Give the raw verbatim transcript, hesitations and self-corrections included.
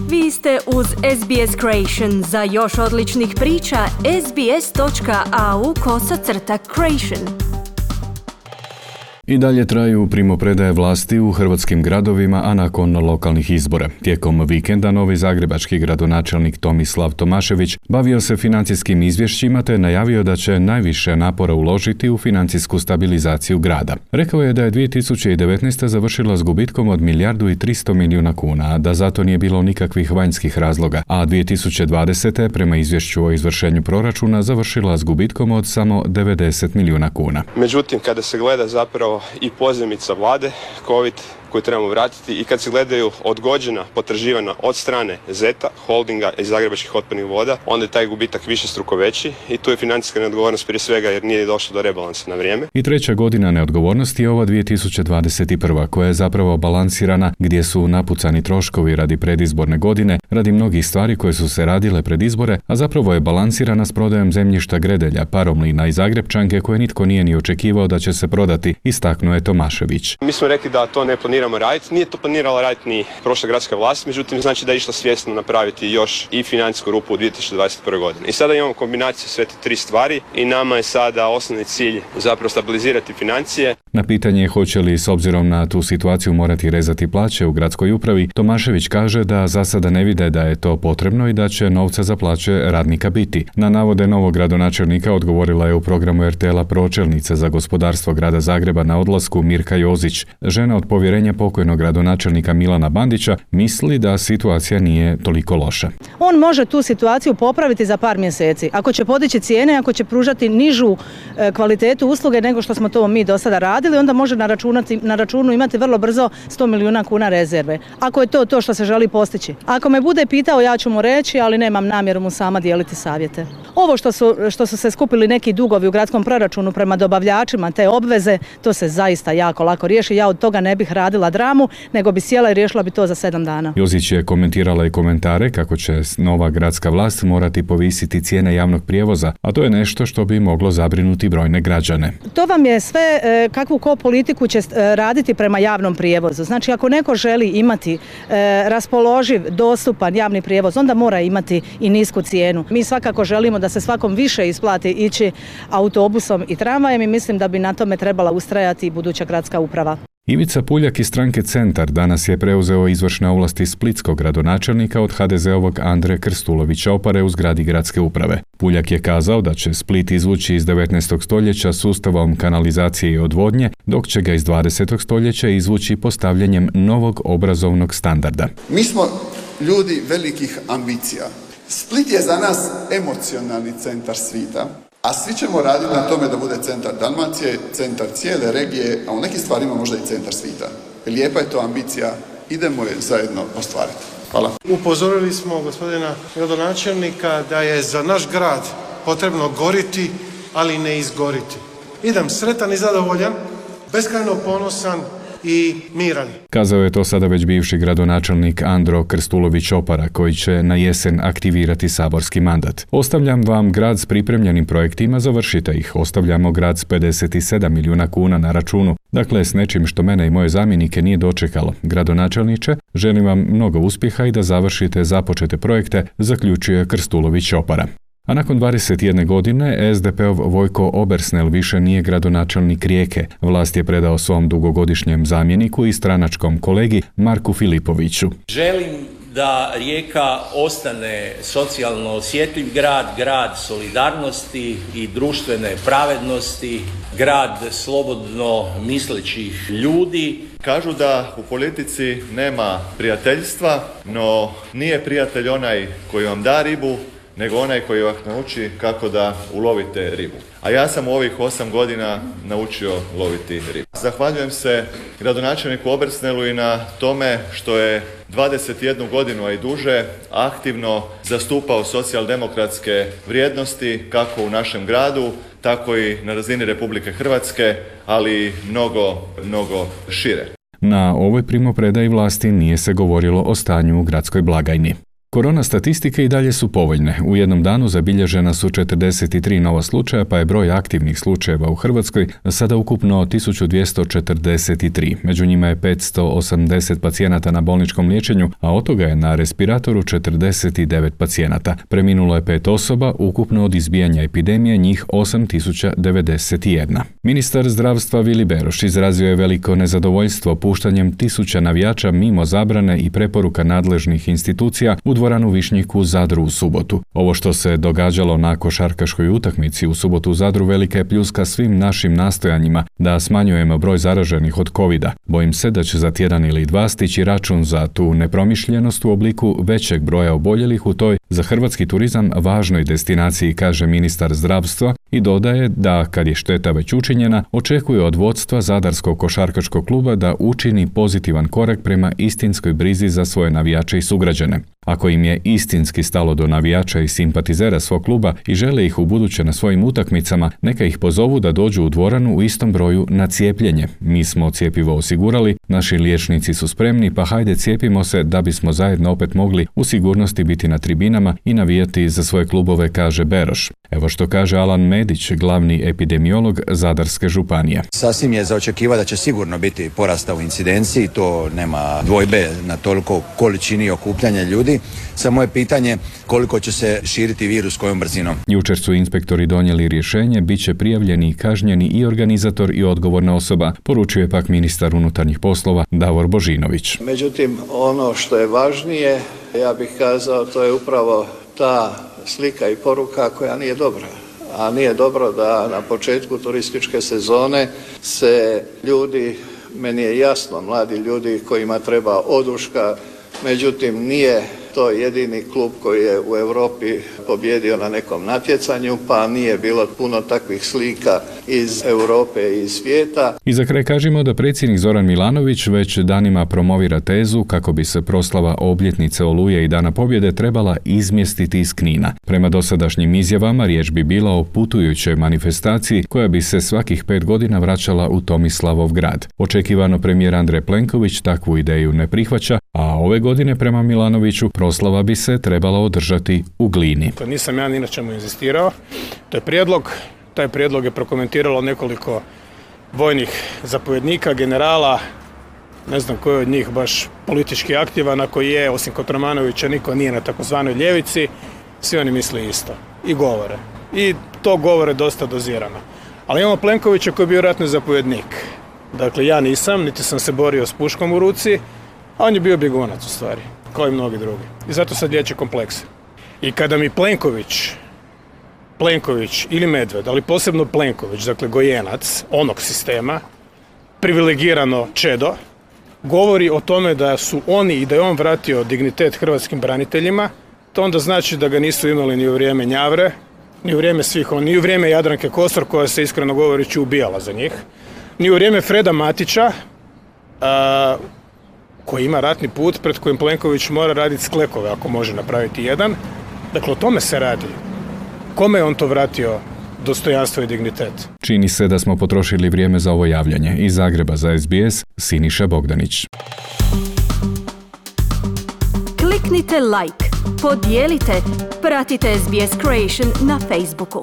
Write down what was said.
Vi ste uz S B S Creation. Za još odličnih priča, sbs.au kosacrta creation. I dalje traju primopredaje vlasti u hrvatskim gradovima, a nakon lokalnih izbora. Tijekom vikenda novi zagrebački gradonačelnik Tomislav Tomašević bavio se financijskim izvješćima te najavio da će najviše napora uložiti u financijsku stabilizaciju grada. Rekao je da je dvije tisuće devetnaesta. završila s gubitkom od milijardu i tristo milijuna kuna, a da zato nije bilo nikakvih vanjskih razloga, a dvije tisuće dvadesete. prema izvješću o izvršenju proračuna završila s gubitkom od samo devedeset milijuna kuna. Međutim, kada se gleda zapravo i pozajmica vlade, COVID koju trebamo vratiti i kad se gledaju odgođena potraživanja od strane Zeta, holdinga i Zagrebačkih otpadnih voda, onda je taj gubitak višestruko veći i tu je financijska neodgovornost prije svega jer nije došlo do rebalansa na vrijeme. I treća godina neodgovornosti je ova dvije tisuće dvadeset prva. koja je zapravo balansirana, gdje su napucani troškovi radi predizborne godine, radi mnogih stvari koje su se radile pred izbore, a zapravo je balansirana s prodajom zemljišta Gredelja, Paromlina i Zagrebčanke koje nitko nije ni očekivao da će se prodati, istaknuo je Tomašević. Mi smo rekli da to ne planiramo raditi. Nije to planirala raditi ni prošla gradska vlast, međutim znači da je išla svjesno napraviti još i financijsku rupu u dvije tisuće dvadeset prve. godine. I sada imamo kombinaciju sve te tri stvari i nama je sada osnovni cilj zapravo stabilizirati financije. Na pitanje hoće li s obzirom na tu situaciju morati rezati plaće u gradskoj upravi, Tomašević kaže da za sada ne vide da je to potrebno i da će novca za plaće radnika biti. Na navode novog gradonačelnika odgovorila je u programu er te el-a pročelnica za gospodarstvo grada Zagreba na odlasku Mirka Jozić. Žena od povjerenja pokojnog gradonačelnika Milana Bandića misli da situacija nije toliko loša. On može tu situaciju popraviti za par mjeseci. Ako će podići cijene, ako će pružati nižu e, kvalitetu usluge nego što smo to mi do sada radili, onda može na, računati, na računu imati vrlo brzo sto milijuna kuna rezerve. Ako je to to što se želi postići. Ako me bude pitao, ja ću mu reći, ali nemam namjeru mu sama dijeliti savjete. Ovo što su, što su se skupili neki dugovi u gradskom proračunu prema dobavljačima, te obveze, to se zaista jako lako riješi. Ja od toga ne bih radila dramu, nego bi sjela i riješila bi to za sedam dana. Jozić je komentirala i komentare kako će nova gradska vlast morati povisiti cijene javnog prijevoza, a to je nešto što bi moglo zabrinuti brojne građane. To vam je sve kakvu ko politiku će raditi prema javnom prijevozu. Znači, ako neko želi imati raspoloživ, dostupan javni prijevoz, onda mora imati i nisku cijenu. Mi svakako želimo da se svakom više isplati ići autobusom i tramvajem i mislim da bi na tome trebala ustrajati i buduća gradska uprava. Ivica Puljak iz stranke Centar danas je preuzeo izvršne ovlasti splitskog gradonačelnika od ha de ze-ovog Andre Krstulovića Opare u zgradi gradske uprave. Puljak je kazao da će Split izvući iz devetnaestog. stoljeća sustavom kanalizacije i odvodnje, dok će ga iz dvadesetog. stoljeća izvući postavljanjem novog obrazovnog standarda. Mi smo ljudi velikih ambicija. Split je za nas emocionalni centar svita. A svi ćemo raditi na tome da bude centar Dalmacije, centar cijele regije, a u nekim stvarima možda i centar svita. Lijepa je to ambicija, idemo je zajedno ostvariti. Hvala. Upozorili smo gospodina gradonačelnika da je za naš grad potrebno goriti, ali ne izgoriti. Idem sretan i zadovoljan, beskrajno ponosan i miran. Kazao je to sada već bivši gradonačelnik Andro Krstulović Opara, koji će na jesen aktivirati saborski mandat. Ostavljam vam grad s pripremljenim projektima, završite ih. Ostavljamo grad s pedeset sedam milijuna kuna na računu. Dakle, s nečim što mene i moje zamjenike nije dočekalo. Gradonačelniče, želim vam mnogo uspjeha i da završite započete projekte, zaključuje Krstulović Opara. A nakon dvadeset jedne godine es de pe-ov Vojko Obersnel više nije gradonačelnik Rijeke. Vlast je predao svom dugogodišnjem zamjeniku i stranačkom kolegi Marku Filipoviću. Želim da Rijeka ostane socijalno osjetljiv grad, grad solidarnosti i društvene pravednosti, grad slobodno mislećih ljudi. Kažu da u politici nema prijateljstva, no nije prijatelj onaj koji vam da ribu, nego onaj koji vas nauči kako da ulovite ribu. A ja sam u ovih osam godina naučio loviti ribu. Zahvaljujem se gradonačelniku Obersnelu i na tome što je dvadeset jednu godinu, a i duže, aktivno zastupao socijaldemokratske vrijednosti kako u našem gradu, tako i na razini Republike Hrvatske, ali mnogo, mnogo šire. Na ovoj primopredaji vlasti nije se govorilo o stanju u gradskoj blagajni. Korona statistike i dalje su povoljne. U jednom danu zabilježena su četrdeset tri nova slučaja, pa je broj aktivnih slučajeva u Hrvatskoj sada ukupno tisuću dvjesto četrdeset tri. Među njima je petsto osamdeset pacijenata na bolničkom liječenju, a od toga je na respiratoru četrdeset devet pacijenata. Preminulo je pet osoba, ukupno od izbijanja epidemije njih osam tisuća devedeset jedna. Ministar zdravstva Vili Beroš izrazio je veliko nezadovoljstvo puštanjem tisuća navijača mimo zabrane i preporuka nadležnih institucija u dvoranu Višnjik u Zadru u subotu. Ovo što se događalo na košarkaškoj utakmici u subotu u Zadru velika je pljuska svim našim nastojanjima da smanjujemo broj zaraženih od covida. Bojim se da će za tjedan ili dva stići račun za tu nepromišljenost u obliku većeg broja oboljelih u toj za hrvatski turizam važnoj destinaciji, kaže ministar zdravstva i dodaje da kad je šteta već učinjena, očekuje od vodstva Zadarskog košarkaškog kluba da učini pozitivan korak prema istinskoj brizi za svoje navijače i sugrađane. Ako im je istinski stalo do navijača i simpatizera svog kluba i žele ih ubuduće na svojim utakmicama, neka ih pozovu da dođu u dvoranu u istom broju na cijepljenje. Mi smo cjepivo osigurali, naši liječnici su spremni, pa hajde cijepimo se da bismo zajedno opet mogli u sigurnosti biti na tribinama i navijati za svoje klubove, kaže Beroš. Evo što kaže Alan Medić, glavni epidemiolog Zadarske županije. Sasvim je za očekivati da će sigurno biti porasta u incidenciji, to nema dvojbe na toliko količini okupljanja ljudi. Samo je pitanje koliko će se širiti virus, kojom brzinom. Jučer su inspektori donijeli rješenje, bit će prijavljeni i kažnjeni i organizator i odgovorna osoba, poručuje pak ministar unutarnjih poslova Davor Božinović. Međutim, ono što je važnije, ja bih kazao, to je upravo ta slika i poruka koja nije dobra. A nije dobro da na početku turističke sezone se ljudi, meni je jasno, mladi ljudi kojima treba oduška, međutim nije to jedini klub koji je u Europi pobjedio na nekom natjecanju, pa nije bilo puno takvih slika iz Europe i iz svijeta. I za kraj kažemo da predsjednik Zoran Milanović već danima promovira tezu kako bi se proslava obljetnice Oluje i Dana pobjede trebala izmjestiti iz Knina. Prema dosadašnjim izjavama riječ bi bila o putujućoj manifestaciji koja bi se svakih pet godina vraćala u Tomislavov grad. Očekivano premijer Andrej Plenković takvu ideju ne prihvaća, a ove godine prema Milanoviću proslava bi se trebala održati u Glini. To nisam ja ni na čemu inzistirao. To je prijedlog. Taj prijedlog je prokomentiralo nekoliko vojnih zapovjednika, generala, ne znam koji od njih baš politički aktivan, ako je, osim Kotromanovića, niko nije na takozvanoj ljevici, svi oni misle isto i govore. I to govore dosta dozirano. Ali imamo Plenkovića koji je bio ratni zapovjednik. Dakle, ja nisam, niti sam se borio s puškom u ruci, a on je bio bjegunac u stvari, kao i mnogi drugi. I zato sad liječi komplekse. I kada mi Plenković, Plenković ili Medved, ali posebno Plenković, dakle gojenac onog sistema, privilegirano čedo, govori o tome da su oni i da je on vratio dignitet hrvatskim braniteljima, to onda znači da ga nisu imali ni u vrijeme Njavre, ni u vrijeme svih on, ni u vrijeme Jadranke Kosor, koja se iskreno govoreći ubijala za njih, ni u vrijeme Freda Matića, a, koji ima ratni put pred kojim Plenković mora raditi sklekove ako može napraviti jedan. Dakle, o tome se radi. Kome je on to vratio dostojanstvo i dignitet? Čini se da smo potrošili vrijeme za ovo javljanje. Iz Zagreba za S B S, Siniša Bogdanić. Kliknite like, podijelite, pratite S B S Creation na Facebooku.